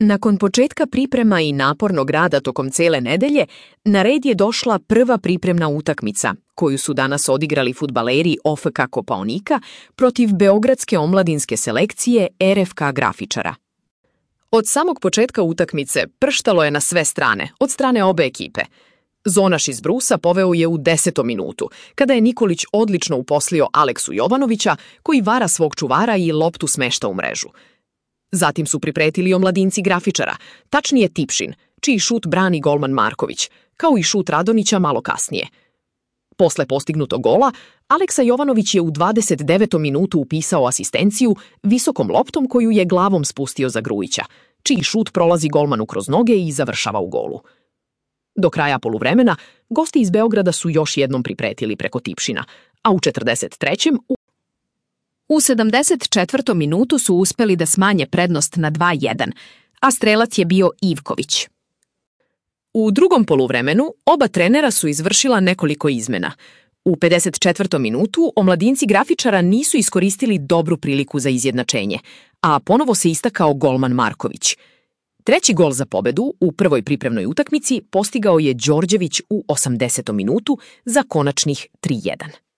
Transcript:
Nakon početka priprema i napornog rada tokom cele nedelje, na red je došla prva pripremna utakmica, koju su danas odigrali fudbaleri OFK Kopaonika protiv beogradske omladinske selekcije RFK Grafičara. Od samog početka utakmice prštalo je na sve strane, od strane obe ekipe. Zonaš iz Brusa poveo je u 10. minutu, kada je Nikolić odlično uposlio Aleksu Jovanovića, koji vara svog čuvara i loptu smešta u mrežu. Zatim su pripretili omladinci Grafičara, tačnije Tipšin, čiji šut brani golman Marković, kao i šut Radonića malo kasnije. Posle postignutog gola, Aleksa Jovanović je u 29. minutu upisao asistenciju visokom loptom koju je glavom spustio za Grujića, čiji šut prolazi golmanu kroz noge i završava u golu. Do kraja poluvremena, gosti iz Beograda su još jednom pripretili preko Tipšina, a u 43. U 74. minutu su uspeli da smanje prednost na 2:1, a strelac je bio Ivković. U drugom poluvremenu oba trenera su izvršila nekoliko izmena. U 54. minutu omladinci Grafičara nisu iskoristili dobru priliku za izjednačenje, a ponovo se istakao golman Marković. Treći gol za pobedu u prvoj pripremnoj utakmici postigao je Đorđević u 80. minutu za konačnih 3:1.